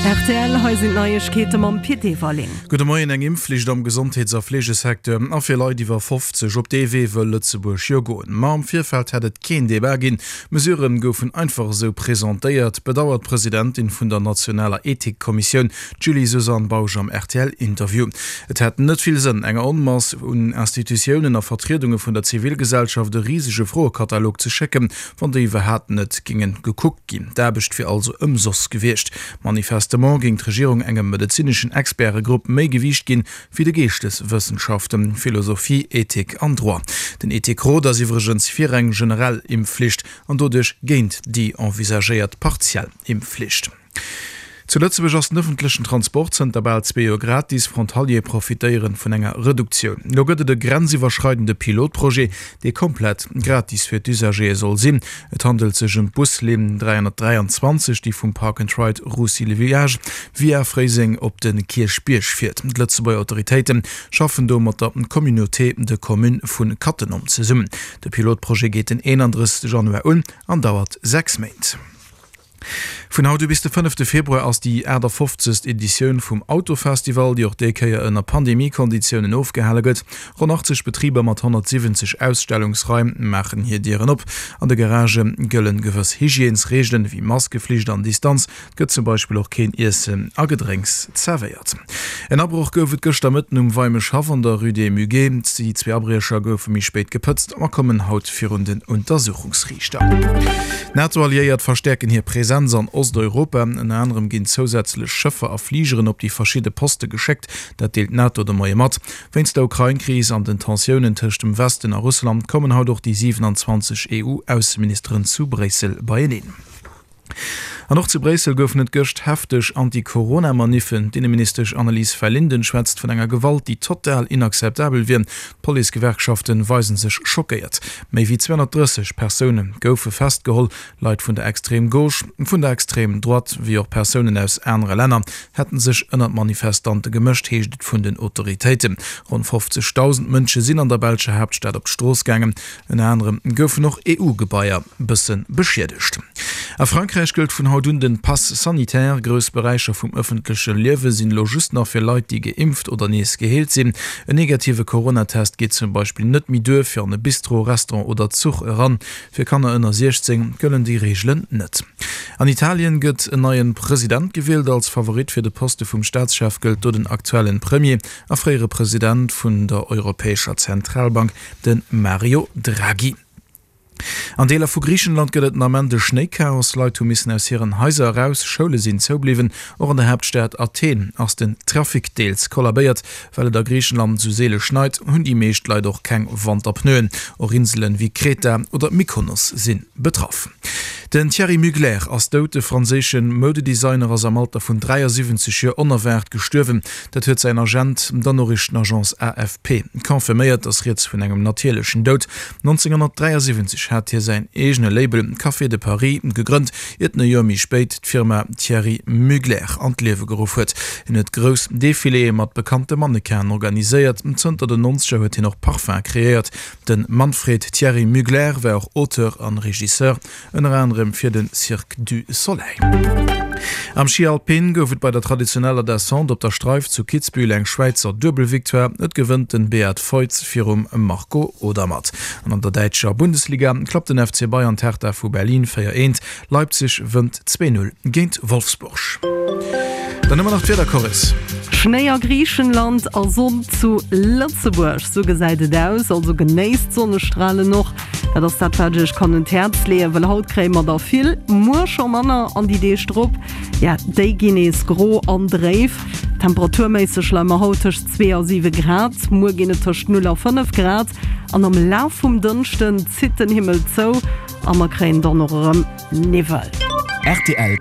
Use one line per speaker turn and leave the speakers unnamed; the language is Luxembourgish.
Rtl, hei sinn d'Neiegkeete mam Pit Everling.
Gudde Moien, Eng Impfflicht am Gesondheets a Fleegesecteur a fir Leit iwwer 50, op dee Wee wëll Lëtzebuerg jo goen. Ma am Virfeld hätt et keen Debat ginn, d'Mesurë goufen einfach esou presentéiert, bedauert d'Presidentin vun der nationaler Ethikkommissioun, d'Julie-Suzanne Bausch am RTL-Interview. Et hätt net vill Sënn, enger Onmass un Institutiounen a Vertriedunge vun der Zivilgesellschaft e risege Froekatalog ze schécken, wann déi iwwerhaapt net géinge gekuckt ginn. D'Aarbecht wier also ëmsoss gewiescht. Manifestement géing d'Regierung engem medezineschen Expertegrupp méi Gewiicht ginn, wéi de Geeschteswëssenschaften, Philosophie, Ethik an Droit. Den Ethikrot ass iwwregens fir eng generell Impfflicht an doduerch géint déi envisagéiert partiell Impfflicht. Zu Lëtzebuerg ass den ëffentlechen Transport zënter bal zwee Joer gratis. Frontaliere profitéieren vun enger Reduktioun. Elo gëtt et e grenziwwerschreidende Pilotprojet, dee komplett gratis fir d'Usagéë soll sinn. Et handelt sech ëm d'Buslinn 323, déi vum Park and Ride Roussy-le-Village via Fréiseng op de Kierchbierg fiert. D'Lëtzebuerger Autoritéite schaffen do mat der Communauté de communes vu Cattenom zesummen. De Pilotprojet geet den 31 Januar un an dauert 6 Méint. Vun haut u bis de fënnefte Februar ass déi 58. Editioun vum Autofestival, déi och déi Kéier ënner Pandemie-Konditiounen ofgehale gëtt. Ronn 80 Betriber mat 170 Ausstellungsraim maachen hir Dieren op. An de Garagë gëllen gewëss Hygiènesreegelen, ewéi Maskeflicht an Distanz. Et gëtt zum Beispill och keen Iessen a Gedrénks zerwéiert. En Abroch gouf et gëschter Mëtten um Weimeschhaff an der Rue des Muguets. Déi zwee Abriecher goufe méi spéit gepëtzt a kommen haut virun den Untersuchungsriichter. D'NATO-Alliéiert verstäerken hir Presenz an Osteuropa. Ënner anerem ginn zousätzlech Schëffer a Fligeren op déi verschidde Poste geschéckt. Dat deelt d'NATO de Moie mat. Wéinst der Ukrain-Kris an den Tensiounen tëscht dem Westen a Russland kommen haut och déi 27 EU-Ausseministeren zu Bréissel beieneen. An och zu Bréissel goufen et gëscht hefteg Anti-Corona-Maniffen. D'Inneministesch Annelies Verlinden schwätzt vun enger Gewalt, déi total inakzeptabel wier. D'Policegewerkschafte weise sech schockéiert. Méi wéi 230 Persoune goufe festgeholl. Leit vun der Extrême Gauche, vun der Extrême Droite wéi och Persounen aus anere Länner hätte sech ënner d'Manifestante gemëscht, heescht et vun den Autoritéiten. Ronn 50.000 Mënsche sinn an der belscher Haaptstad op d'Strooss gaangen. Ënner anerem goufen och EU-Gebaier bësse beschiedegt. A Frankräich gëllt vun haut un den Pass sanitaire. Grouss Beräicher vum ëffentleche Liewe sinn elo just nach fir Leit, déi geimpft oder nees geheelt sinn. En negative Coronatest geet zum Beispill net méi duer fir an e Bistro, Restaurant oder Zuch eran. Fir Kanner ënner 16 gëllen déi Reegelen net. An Italien gëtt en neien President gewielt. Als Favorit fir de Poste vum Staatschef gëllt do den aktuellen Premier a fréiere President vun der Europäescher Zentralbank, de Mario Draghi. An Deeler vu Griichenland gëtt et den Ament e Schnéichaos. Leit hu missen aus hiren Haiser eraus, Schoule sinn zoubliwwen. Och an der Haaptstad Athen ass den Trafic deels kollabéiert. Well et a Griichenland esou seele schneit, hunn déi meescht Leit och keng Wanterpneuen. Och Inselen wéi Kreta oder Mykonos si betraff. Den Thierry Mugler ass dout. De franséische Moudedesigner ass am Alter vun 73 Joer onerwaart gestuerwen. Dat huet säin Agent der Noriichtenagence AFP confirméiert. Et ass rieds vun engem natierlechen Doud. 1973 hat hie säin eegene Label Café de Paris gegrënnt, iert en e Joer méi spéit d'Firma Thierry Mugler an d'Liewe geruff huet. Hien huet grouss Defiléë mat bekannte Mannequinen organiséiert. Zënter den Nonzeger huet hien och Parfum kreéiert. De Manfred Thierry Mugler war och Auteur an Regisseur. Ënner anerem fir de Cirque du Soleil. Am Schi Alpin gouf et bei der traditioneller Descente op der Streif zu Kitzbühel eng Schwäizer Duebelvictoire. Et gewënnt den Beat Feuz virum Marco Odermatt. An an der däitscher Bundesliga klappt den FC Bayern d'Hertha vu Berlin 4, 1. Leipzig wënnt 2, 0 géint Wolfsburg. Dann hu mer nach d'Wieder, Coris.
Schnéi a Griichenland a Sonn zu Lëtzebuerg, sou gesäit et aus. Also genéisst d'Sonnestralen och. Dat ass dat, wat ech iech kann un d'Häerz leeën, well haut kréie mer der vill, muer scho manner an déi Deeg drop, ja, déi ginn nees gro an dréif. Temperaturméisseg leie mer haut tëscht 2 a 7 Grad, muer ginn et tëscht 0 a 5 Grad an am Laf vum Dënschden zitt den Himmel zou a mer kréien dann och erëm Niwwel.
Rtl.